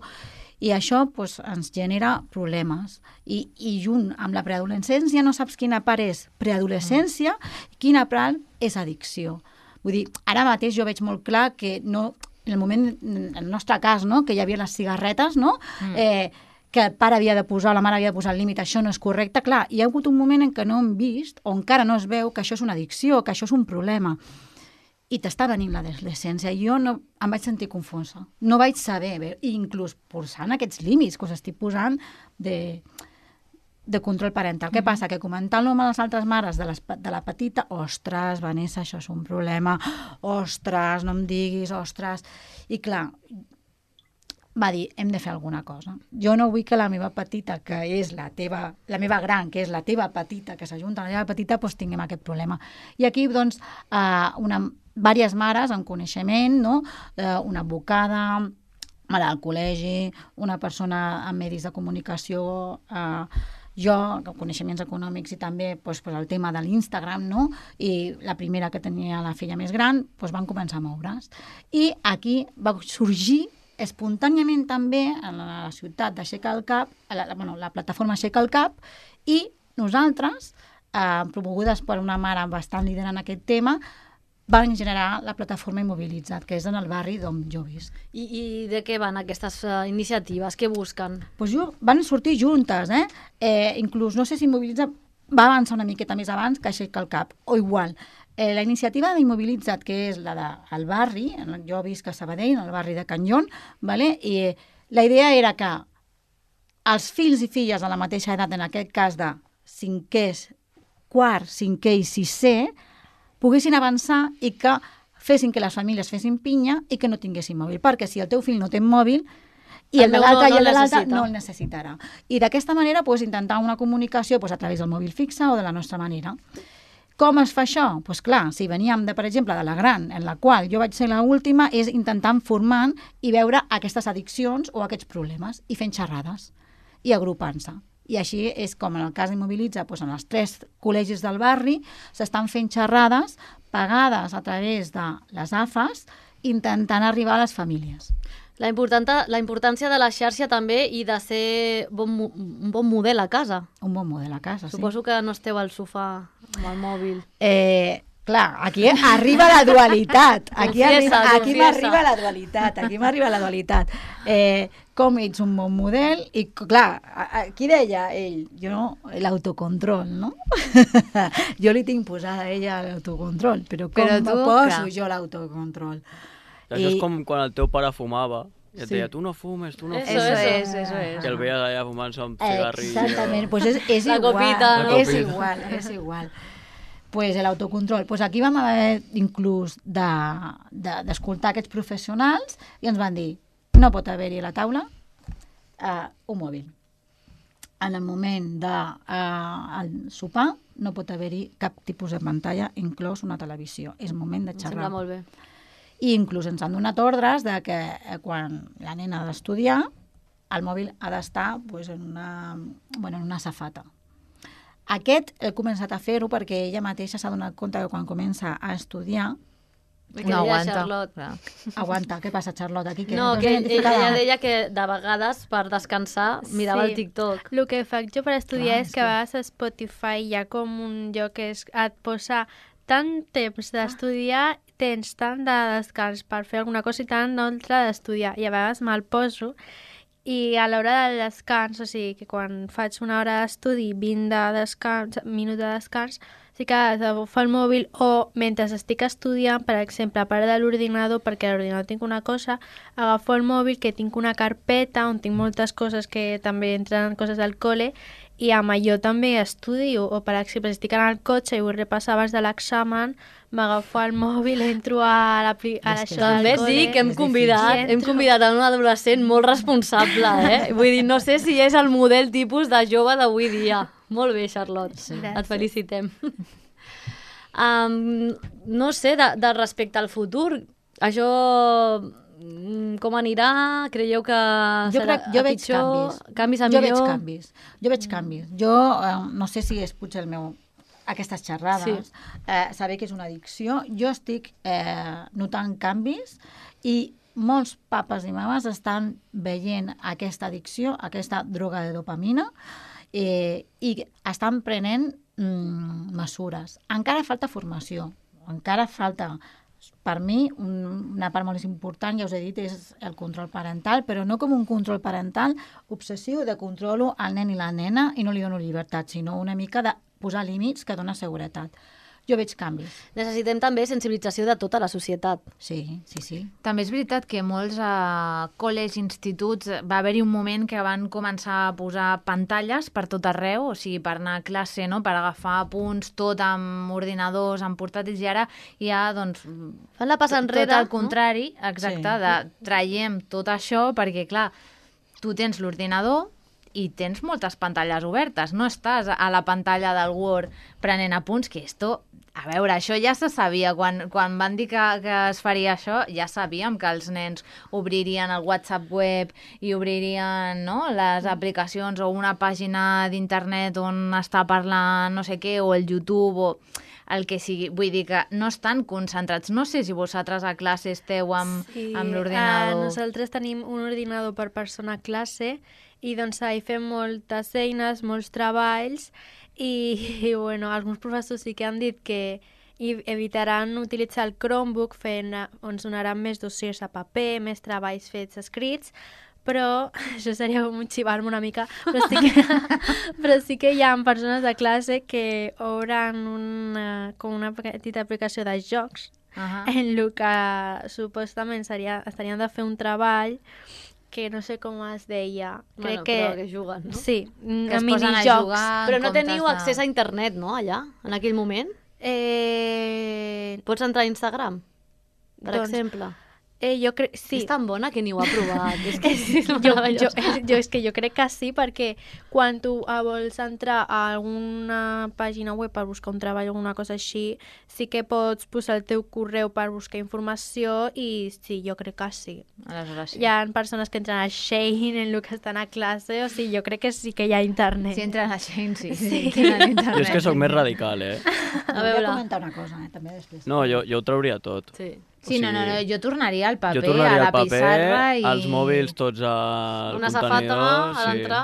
i això pues, ens genera problemes. I, i junt amb la preadolescència no saps quina part és preadolescència i quina part és addicció. Vull dir, ara mateix jo veig molt clar que no... en el moment, en el nostre cas, no?, que hi havia les cigarretes, no?, mm. eh, que el pare havia de posar, la mare havia de posar el límit, això no és correcte. Clar, hi ha hagut un moment en què no hem vist, o encara no es veu, que això és una addicció, que això és un problema. I t'està venint l'adolescència. I jo no, em vaig sentir confosa. No vaig saber, bé, inclús posant aquests límits que us estic posant de, de control parental. Mm-hmm. Què passa? Que comentant-lo amb les altres mares de, les, de la petita, ostres, Vanessa, això és un problema, ostres, no em diguis, ostres... I clar, va dir, hem de fer alguna cosa. Jo no vull que la meva petita, que és la teva, la meva gran, que és la teva petita, que s'ajunta a la teva petita, doncs tinguem aquest problema. I aquí, doncs, eh, una, diverses mares en coneixement, no?, eh, una advocada, mare del col·legi, una persona amb medis de comunicació, eh, jo, coneixements econòmics i també doncs, pues, el tema de l'Instagram, no?, i la primera que tenia la filla més gran, doncs, van començar a moure's. I aquí va sorgir espontàniament també a la ciutat d'Aixeca el cap, a la, bueno, la plataforma Aixeca el cap, i nosaltres, eh, promogudes per una mare bastant líder en aquest tema, van generar la plataforma Immobilitzat, que és en el barri d'on jo visc. I, I de què van aquestes uh, iniciatives? Què busquen? Pues jo, van sortir juntes, eh? eh? Inclús, no sé si Immobilitzat va avançar una miqueta més abans que Aixeca el cap, o igual. Eh, la iniciativa d'Immobilitzat, que és la del barri, jo visc a Sabadell, en el barri de Can Lyon, vale? I la idea era que els fills i filles de la mateixa edat, en aquest cas de cinquè, quart, cinquè i sisè, poguessin avançar i que fessin que les famílies fessin pinya i que no tinguessin mòbil, perquè si el teu fill no té mòbil i el, el de l'altre no, no i el de l'altre no el necessitarà. I d'aquesta manera pues, intentar una comunicació pues, a través del mòbil fixe o de la nostra manera. Com es fa això? Doncs pues, clar, si veníem, de, per exemple, de la gran, en la qual jo vaig ser l'última, és intentant formant i veure aquestes addiccions o aquests problemes i fent xerrades i agrupant-se. I així és com en el cas d'Immobilitza, doncs en els tres col·legis del barri s'estan fent xerrades pagades a través de les A F As intentant arribar a les famílies. La, la importància de la xarxa també i de ser bon, un bon model a casa. Un bon model a casa, sí. Suposo que no esteu al sofà amb el mòbil. Eh, clar, aquí arriba la dualitat. Aquí confiesa, arriba, aquí confiesa. m'arriba la dualitat. Aquí m'arriba la dualitat. Eh, com ets un bon model i, clar, aquí deia ell, jo, l'autocontrol, no? Jo li tinc posada a ella l'autocontrol, però com Però tu, poso clar. jo l'autocontrol? Això és com quan el teu pare fumava i et Sí. deia, tu no fumes, tu no Eso, fumes. Eso eso. es, eso es. I el veies allà fumant-se un cigarrillo. Exactament, pues és, és La igual, copita, no? és La copita. igual, és igual. Pues l'autocontrol. Pues aquí vam haver inclús de- de- d'escoltar de, aquests professionals i ens van dir, no pot haver-hi a la taula uh, un mòbil. En el moment de uh, el sopar no pot haver-hi cap tipus de pantalla, inclòs una televisió. És moment de Em xerrar. sembla molt bé. I inclús ens han donat ordres de que eh, quan la nena ha d'estudiar el mòbil ha d'estar pues, en, una, bueno, en una safata. Aquest he començat a fer-ho perquè ella mateixa s'ha donat compte que quan comença a estudiar Que No deia aguanta. Charlotte. Clar. aguanta. Què passa, Charlotte? Aquí, que No, no que t'has identificat? ella deia que de vegades per descansar mirava Sí. el TikTok. El que faig jo per estudiar Clar, és és que a que- vegades a Spotify hi ha com un lloc que és, et posa tant temps d'estudiar, tens tant de descans per fer alguna cosa i tant d'altra d'estudiar. I a vegades me'l poso i a l'hora del descans, o sigui que quan faig una hora d'estudi, vint de descans, minuts de descans, sí que agafo el mòbil o mentre estic estudiant, per exemple, a part de l'ordinador, perquè a l'ordinador tinc una cosa, agafo el mòbil que tinc una carpeta on tinc moltes coses que també entren coses del col·le i amb allò també estudio, o per exemple, si estic en el cotxe i vull repassar abans de l'examen, m'agafo el mòbil, entro a l'això És que del També et col·le. dic que hem És convidat, difícil. hem convidat a un adolescent molt responsable, eh? Vull dir, no sé si és el model tipus de jove d'avui dia. Molt bé, Charlotte. Sí. Et felicitem. Um, no sé, de, de respecte al futur, això mm, com anirà? Creieu que Jo, serà crec, jo a veig pitjor? canvis. Canvis a jo millor? veig canvis. Jo veig canvis. Jo eh, no sé si és potser el meu aquestes xerrades, Sí. eh, saber que és una addicció. Jo estic eh, notant canvis i molts papes i mames estan veient aquesta addicció, aquesta droga de dopamina, eh, i estan prenent mm, mesures. Encara falta formació, encara falta... Per mi, un, una part molt important, ja us he dit, és el control parental, però no com un control parental obsessiu de controlo al nen i la nena i no li dono llibertat, sinó una mica de posar límits que dona seguretat. Jo veig canvis. Necessitem també sensibilització de tota la societat. Sí, sí, sí. També és veritat que molts eh, col·legis, instituts, va haver-hi un moment que van començar a posar pantalles per tot arreu, o sigui, per anar a classe, no? Per agafar apunts, tot amb ordinadors, amb portàtils, i ara hi ha, doncs... Fan la passa enrere, tot el no? contrari, exacte, Sí. de traiem tot això, perquè, clar, tu tens l'ordinador i tens moltes pantalles obertes, no estàs a la pantalla del Word prenent apunts, que esto... A veure, això ja se sabia. Quan, quan van dir que, que es faria això, ja sabíem que els nens obririen el WhatsApp web i obririen, no?, les aplicacions o una pàgina d'internet on està parlant no sé què, o el YouTube, o el que sigui. Vull dir que no estan concentrats. No sé si vosaltres a classe esteu amb, Sí, amb eh, l'ordinador. nosaltres tenim un ordinador per persona a classe i doncs hi fem moltes eines, molts treballs i, i bueno, alguns professors sí que han dit que i evitaran utilitzar el Chromebook fent, ens donaran més dossiers a paper, més treballs fets escrits, però això seria com xivar-me una mica, però sí, que, però sí que hi ha persones de classe que obren una, com una petita aplicació de jocs Uh-huh. en el que supostament seria, estarien de fer un treball que no sé com es deia. Bueno, Crec que... però que juguen, no? Sí, Que es posen a minijocs. jugar en Però no comptes teniu de- accés a internet, no, allà, en aquell moment? Eh, Pots entrar a Instagram, per Doncs, exemple. eh, jo crec... Sí. És tan bona que ni ho ha provat. És que és jo, jo, meravellós. jo, és que jo crec que sí, perquè quan tu eh, vols entrar a alguna pàgina web per buscar un treball o alguna cosa així, sí que pots posar el teu correu per buscar informació i sí, jo crec que sí. Aleshores sí. Hi ha persones que entren a Shein en el que estan a classe, o sigui, jo crec que sí que hi ha internet. Si entren a Shein, sí. Sí. sí. tenen internet. Jo és que sóc més radical, eh? A Volia veure. comentar una cosa, eh, també després. No, jo, jo ho trauria tot. Sí. Sí, no, no, no, jo tornaria al paper, jo tornaria a la al paper, pissarra i... als mòbils tots al Una contenidor. safata a l'entrar?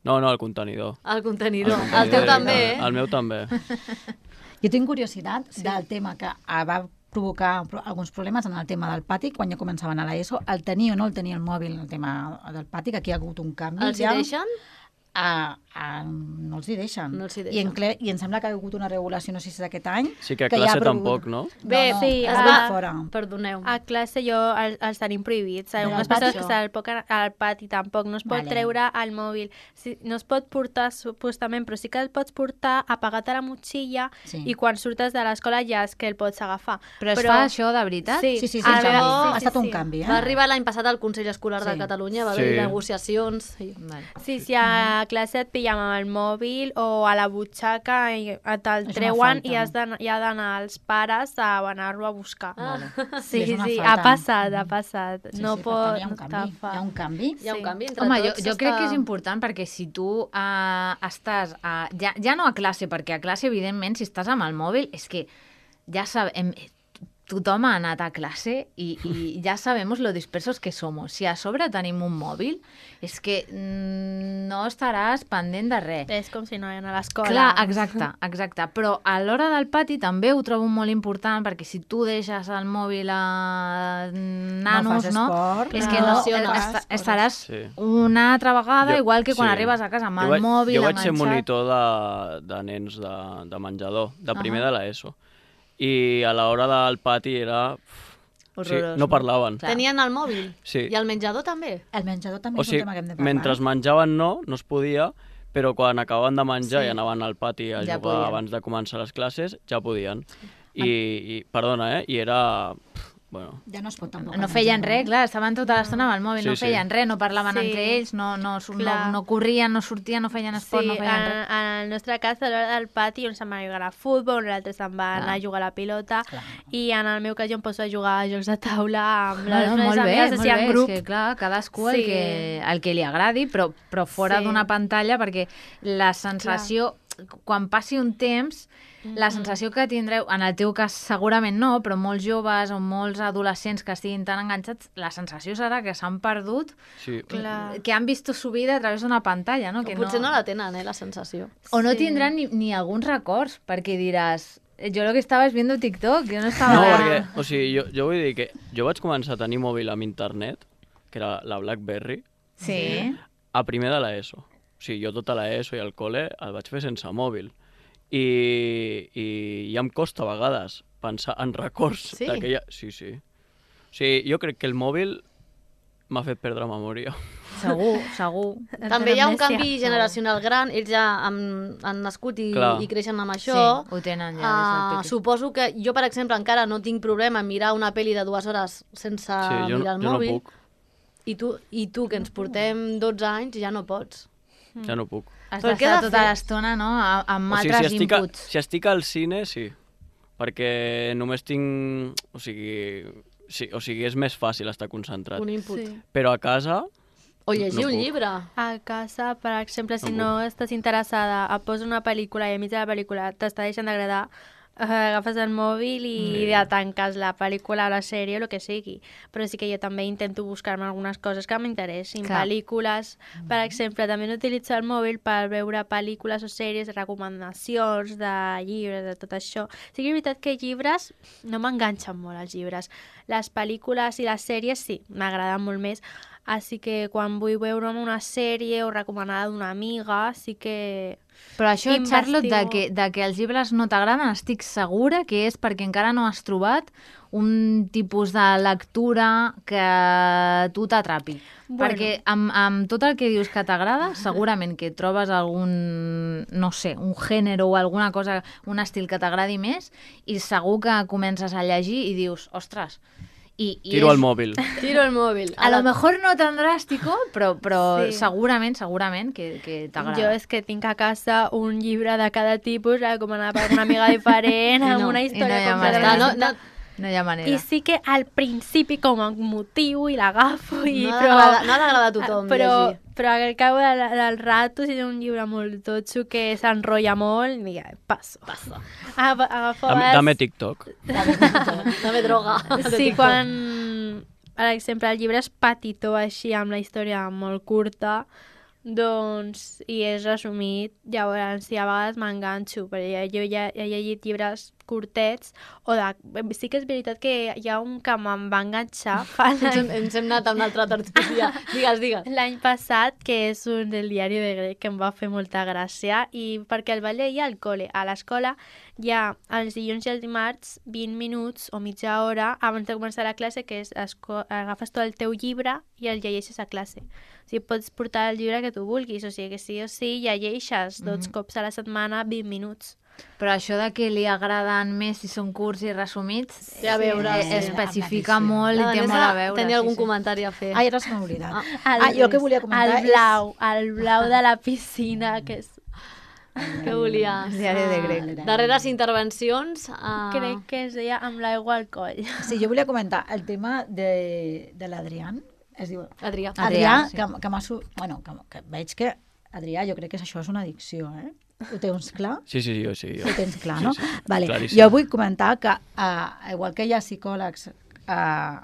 No, no, al contenidor. El contenidor. Al El contenidor. teu també, eh? El meu també. Jo tinc curiositat sí. del tema que ah, va provocar pro- alguns problemes en el tema del pati, quan ja començaven a l'ESO, el tenir o no el tenir el mòbil, el tema del pati, que aquí ha hagut un canvi. Els hi ja. deixen? A, a, no els hi deixen. No els hi I, deixen. en cle, I em sembla que ha hagut una regulació, no sé si és aquest any, Sí que a que ja classe ha prohibit- tampoc, no? Bé, no, no, sí, es ah, va fora. Perdoneu. A classe jo el- els tenim prohibits. Però Algunes al pati persones que no. se'l poden al pati tampoc. No es pot Vale. treure al mòbil. Sí, no es pot portar supostament, però sí que el pots portar apagat a la motxilla Sí. i quan surtes de l'escola ja és que el pots agafar. Però es fa això de veritat? Sí, Sí, sí, sí, a un canvi. veure, ha estat un canvi. Eh? Va arribar l'any passat al Consell Escolar de Sí. Catalunya, va Sí. haver negociacions. Sí. Vale. Sí, si a classe et pillen amb el mòbil o a la butxaca i te'l treuen i has d'anar, hi ha d'anar els pares a anar-lo a buscar. Ah. Sí, És una sí, falta. ha passat, ha passat. Sí, no sí, per pot... tant, hi ha un canvi. Hi ha un canvi. Hi ha un canvi entre Home, jo, tots. jo està- crec que és important perquè si tu uh, estàs, a, ja, ja no a classe, perquè a classe, evidentment, si estàs amb el mòbil, és que ja sabem, tothom ha anat a classe i, i ja sabemos lo dispersos que somos. Si a sobre tenim un mòbil, és que mm, no estaràs pendent de res. És com si no hi anés a l'escola. Clar, exacte, exacte. Però a l'hora del pati també ho trobo molt important perquè si tu deixes el mòbil a nanos, fas no? esport, és no que no, lesiones. est estaràs Sí. una altra vegada, Jo- igual que quan sí. arribes a casa amb Jo el vaig- mòbil Jo vaig ser enganxat. monitor de, de nens de, de menjador, de primer Ahà. de l'ESO. I a l'hora del pati era... uf, sí, Horrorós, no no? parlaven. Clar. Tenien el mòbil? Sí. I el menjador també? El menjador també O és sigui, un tema que hem de parlar. mentre menjaven no, no es podia, però quan acabaven de menjar Sí. i anaven al pati a Ja jugar podien. abans de començar les classes, ja podien. I, i perdona, eh? I era... pf, bueno, Ja no es pot tampoc. No feien menjar, res, clar, estaven tota l'estona amb el mòbil, Sí, no sí. feien res, no parlaven Sí. entre ells, no, no, no, Clar. no corrien, no sortien, no feien esport, Sí, no feien en, res. en el nostre cas, a l'hora del pati, un se'n va a jugar a futbol, un altre se'n va anar a jugar a la pilota, Clar. i en el meu cas jo em poso a jugar a jocs de taula amb les Bueno, meves molt bé, amigues, molt així en bé, grup. és que clar, cadascú Sí. el, que, el que li agradi, però, però fora Sí. d'una pantalla, perquè la sensació, quan passi un temps, la sensació que tindreu, en el teu cas segurament no, però molts joves o molts adolescents que estiguin tan enganxats, la sensació serà que s'han perdut, sí. Clar. que han vist su vida a través d'una pantalla, no? O Que potser no la tenen, eh, la sensació. O no Sí. tindran ni, ni alguns records, perquè diràs, jo lo que estava és viendo TikTok, jo no estava... No, perquè, o sigui, jo, jo vull dir que jo vaig començar a tenir mòbil amb internet, que era la BlackBerry, Sí. a primer de l'ESO. O sigui, jo tota l'ESO i el col·le el vaig fer sense mòbil. I, i ja em costa a vegades pensar en records Sí? d'aquella... Sí, sí. O sigui, jo crec que el mòbil m'ha fet perdre memòria. Segur, segur. També hi ha un Amnèsia. canvi generacional gran, ells ja han, han nascut i, Clar. i creixen amb això. Sí, ho tenen ja des del Ah, peque. suposo que jo, per exemple, encara no tinc problema en mirar una pel·li de dues hores sense Sí, jo, mirar el jo no mòbil. puc. I tu, I tu, que ens portem dotze anys, ja no pots. Ja no puc. Has Però què d'estar he de tota fer? l'estona, no?, a- amb O sigui, altres si estic, a, inputs. si estic al cine, sí. Perquè només tinc... O sigui, sí, o sigui, és més fàcil estar concentrat. Un input. Sí. Però a casa... O llegir No un puc. llibre. A casa, per exemple, si No no estàs interessada, et poses una pel·lícula i a mig de la pel·lícula t'està deixant d'agradar, eh, agafes el mòbil i Sí. ja tanques la pel·lícula o la sèrie o el que sigui. Però sí que jo també intento buscar-me algunes coses que m'interessin. Clar. Pel·lícules, per exemple, també no utilitzo el mòbil per veure pel·lícules o sèries, recomanacions de llibres, de tot això. Sí que és veritat que llibres no m'enganxen molt, els llibres. Les pel·lícules i les sèries sí, m'agraden molt més. Així que quan vull veure'm una sèrie o recomanada d'una amiga, sí que... Però això, Investigo. Charlotte, de que, de que els llibres no t'agraden, estic segura que és perquè encara no has trobat un tipus de lectura que a tu t'atrapi. Bueno. Perquè amb, amb tot el que dius que t'agrada, segurament que trobes algun, no sé, un gènere o alguna cosa, un estil que t'agradi més, i segur que comences a llegir i dius, ostres... I, i Tiro és- el mòbil. Tiro el mòbil. A lo mejor no tan drástico, però, però Sí. segurament, segurament que, que t'agrada. Jo és que tinc a casa un llibre de cada tipus, recomanat per una amiga diferent, amb no, una i història no hi ha completament manera. no, distinta. no, No hi ha manera. I sí que al principi com a motiu i l'agafo i... no ha però... d'agradar no ha d'agradar a tothom però, llegir. però al cap del, del rato, si és un llibre molt totxo que s'enrotlla molt, diga, passo. Passa. Aga- Agafo a Dame, vegades- dame TikTok. També droga. Sí, quan, per exemple, el llibre és petitó així, amb la història molt curta, doncs, i és resumit, llavors, sí, a vegades m'enganxo, perquè jo ja he llegit llibres curtets, o de... Sí que és veritat que hi ha un que me'n va enganxar fa Ens, hem- ens hem anat a una altra tertúlia. Digues, digues. l'any passat, que és un del diari de grec, que em va fer molta gràcia, i perquè el vaig llegir al col·le. A l'escola hi ha els dilluns i els dimarts vint minuts o mitja hora abans de començar la classe, que és esco- agafes tot el teu llibre i el llegeixes a classe. O sigui, pots portar el llibre que tu vulguis, o sigui que sí o sí llegeixes dos cops a la setmana vint minuts. Però això de que li agraden més si són curts i resumits, Té a veure, eh, sí. especifica Sí. molt La i té Vanessa molt a veure. tenia algun sí, sí. comentari a fer. Ai, ara se m'ha oblidat. Ah, Ah, jo el que volia comentar el blau, el blau de la piscina, que és... Què volies? El diari de Ah, grec. Darreres intervencions... Uh... Crec que es deia amb l'aigua al coll. és... Sí, jo volia comentar el tema de, de l'Adrián. Es diu... Adrià. Adrià, Adrià, sí. que, que m'ha... su- Bueno, que, que veig que Adrià, jo crec que això és una addicció, eh? Ho tens clar? Sí, sí, jo sí. Jo. Ho tens clar, Sí, no? sí, Vale. claríssim. Jo vull comentar que, uh, igual que hi ha psicòlegs uh,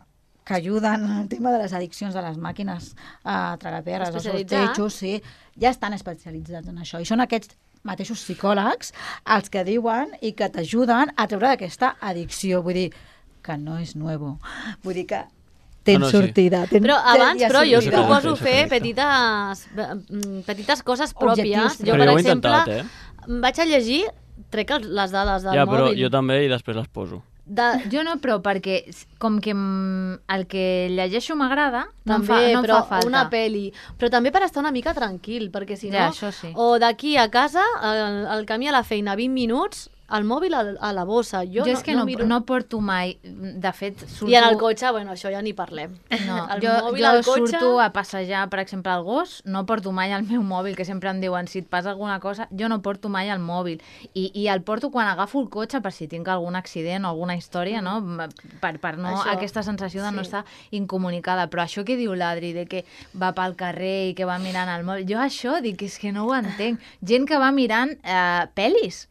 que ajuden en el tema de les addiccions de les màquines uh, tragaperres, els Especialitzats. sortejos, sí, ja estan especialitzats en això. I són aquests mateixos psicòlegs els que diuen i que t'ajuden a treure d'aquesta addicció. Vull dir, que no és nuevo. Vull dir que tens No, no, sí. sortida. Tens, Però abans, ja però jo us sortida. No sé com proposo ho fes, fer perfecte. petites, mm, petites coses pròpies. Objectius. Jo, Però per jo ho he exemple, intentat, eh? vaig a llegir, trec el- les dades del Ja, però mòbil. jo també i després les poso. De, Jo no, però perquè com que mm, el que llegeixo m'agrada, no, em també, fa, no em però fa falta. una pel·li. Però també per estar una mica tranquil, perquè si no... Ja, això sí. O d'aquí a casa, el, el camí a la feina, vint minuts, el mòbil a, a la bossa. Jo, Jo, és que no, miro... no porto mai, de fet, surto... I en el cotxe, bueno, això ja ni parlem. No, el jo, mòbil jo al cotxe... surto a passejar, per exemple, al gos, no porto mai el meu mòbil, que sempre em diuen si et passa alguna cosa, jo no porto mai el mòbil. I, i el porto quan agafo el cotxe per si tinc algun accident o alguna història, no? Per, per no Això, aquesta sensació de no sí. estar incomunicada. Però això que diu l'Adri, de que va pel carrer i que va mirant el mòbil, jo això dic, és que no ho entenc. Gent que va mirant eh, pel·lis,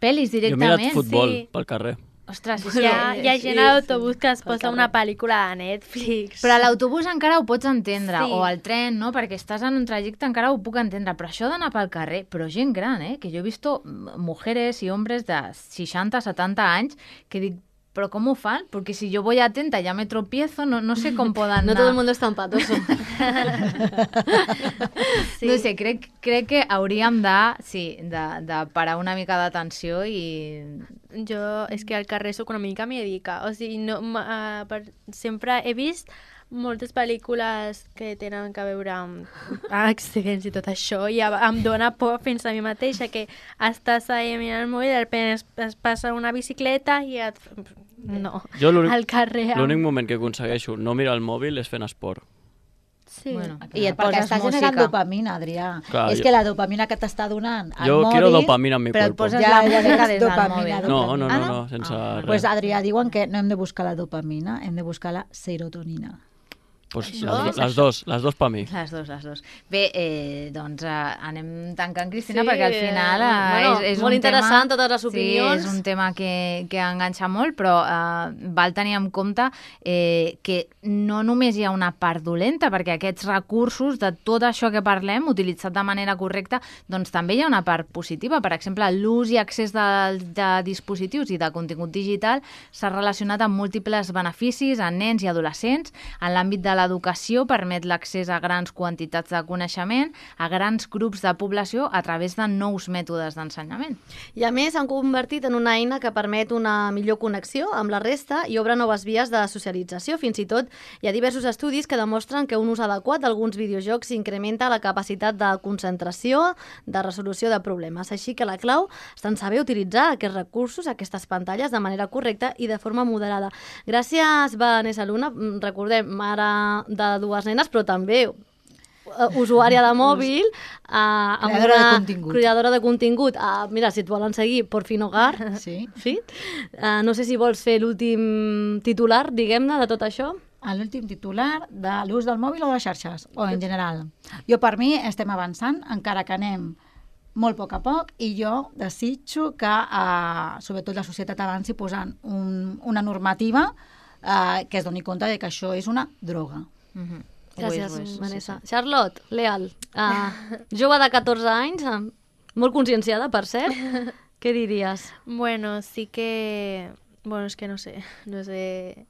pel·lis Jo he directament. mirat futbol sí. pel carrer. Ostres, és Hi que... ha, hi ha gent a l'autobús que es posa una pel·lícula de Netflix. Però a l'autobús encara ho pots entendre, Sí. o al tren, no? Perquè estàs en un trajecte encara ho puc entendre, però això d'anar pel carrer, però gent gran, eh? Que jo he vist mujeres i hombres de seixanta, setanta anys que dic, però com ho fan? Perquè si jo voy atenta ya me tropiezo, no, no sé com poden No anar. todo el mundo es tan patoso. Sí. No sé, crec, crec que hauríem de, sí, de, de parar una mica d'atenció i... Jo és que al carrer sóc una mica miedica. O sigui, no, uh, per, sempre he vist moltes pel·lícules que tenen a veure amb accidents i tot això i em dóna por fins a mi mateixa que estàs ahí mirant el mòbil i de repente es, es passa una bicicleta i et... No, Jo l'únic al carrer... amb- l'únic moment que aconsegueixo no mirar el mòbil és fent esport. Sí. Bueno, Clar, i et perquè poses està generant música. dopamina, Adrià. Clar, és jo- que la dopamina que t'està donant el Jo mòbil... quiero dopamina en mi Però et cuerpo. poses Ja, la ja música és des del dopamina, mòbil. No, no, Ah, no, no? no, sense Ah. res. Pues Adrià, diuen que no hem de buscar la dopamina, hem de buscar la serotonina. Pues Això les, és les dos, les dos per mi. Les dos, les dos. Bé, eh, doncs eh, anem tancant, Cristina, Sí, perquè al final eh, bueno, és, és molt un interessant tema... totes les opinions. Sí, és un tema que, que enganxa molt, però eh, val tenir en compte eh, que no només hi ha una part dolenta, perquè aquests recursos, de tot això que parlem, utilitzat de manera correcta, doncs també hi ha una part positiva. Per exemple, l'ús i accés de, de dispositius i de contingut digital s'ha relacionat amb múltiples beneficis en nens i adolescents. En l'àmbit de l'educació permet l'accés a grans quantitats de coneixement, a grans grups de població a través de nous mètodes d'ensenyament. I a més s'han convertit en una eina que permet una millor connexió amb la resta i obre noves vies de socialització. Fins i tot hi ha diversos estudis que demostren que un ús adequat d'alguns videojocs incrementa la capacitat de concentració, de resolució de problemes. Així que la clau està en saber utilitzar aquests recursos, aquestes pantalles, de manera correcta i de forma moderada. Gràcies, Vanessa Luna. Recordem, mare de dues nenes, però també uh, usuària de mòbil, uh, amb Creadora una de contingut. creadora de contingut. Uh, mira, si et volen seguir, por fin hogar. Sí. Sí? Uh, no sé si vols fer l'últim titular, diguem-ne, de tot això. L'últim titular de l'ús del mòbil o de les xarxes, o en general. Jo, per mi, estem avançant, encara que anem molt a poc a poc, i jo desitjo que, eh, sobretot, la societat avanci posant un, una normativa eh, que es doni compte de que això és una droga. Mm-hmm. Gràcies, Vanessa. Charlotte, Leal, uh, jove de catorze anys, uh, molt conscienciada, per cert. Què diries? Bueno, sí que... Bueno, és que no sé, no sé...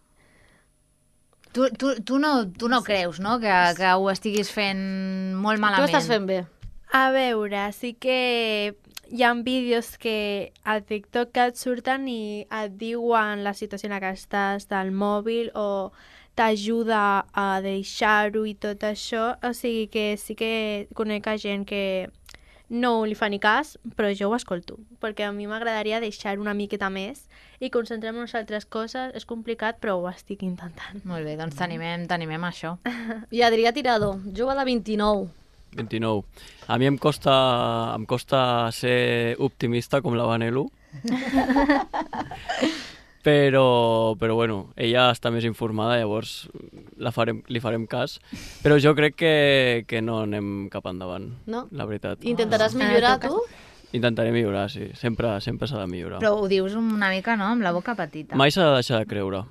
Tu, tu, tu, no, tu no creus, no?, que, que ho estiguis fent molt Tu malament. ho estàs fent bé. A veure, sí que hi ha vídeos que a TikTok que et surten i et diuen la situació en la que estàs del mòbil o t'ajuda a deixar-ho i tot això. O sigui que sí que conec a gent que no li fa ni cas, però jo ho escolto, perquè a mi m'agradaria deixar una miqueta més i concentrar-nos en altres coses. És complicat, però ho estic intentant. Molt bé, doncs t'animem, t'animem a això. I Adrià Tirado, jove de vint-i-nou. vint-i-nou. A mi em costa, em costa ser optimista com la Vanelu. Però, però bueno, ella està més informada, llavors la farem, li farem cas. Però jo crec que, que no anem cap endavant, No? la veritat. Intentaràs Ah, millorar, en el teu tu? Intentaré millorar, sí. Sempre sempre s'ha de millorar. Però ho dius una mica, no?, amb la boca petita. Mai s'ha de deixar de creure.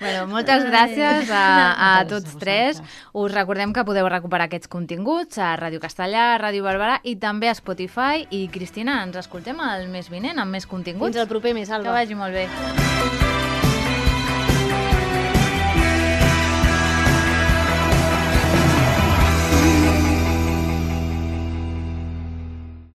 Bueno, moltes gràcies a, a Gràcies tots a tres. vosaltres. Us recordem que podeu recuperar aquests continguts a Ràdio Castellà, a Ràdio Barberà i també a Spotify. I, Cristina, ens escoltem el mes vinent amb més continguts. Fins al proper mes, Que Alba. vagi molt bé.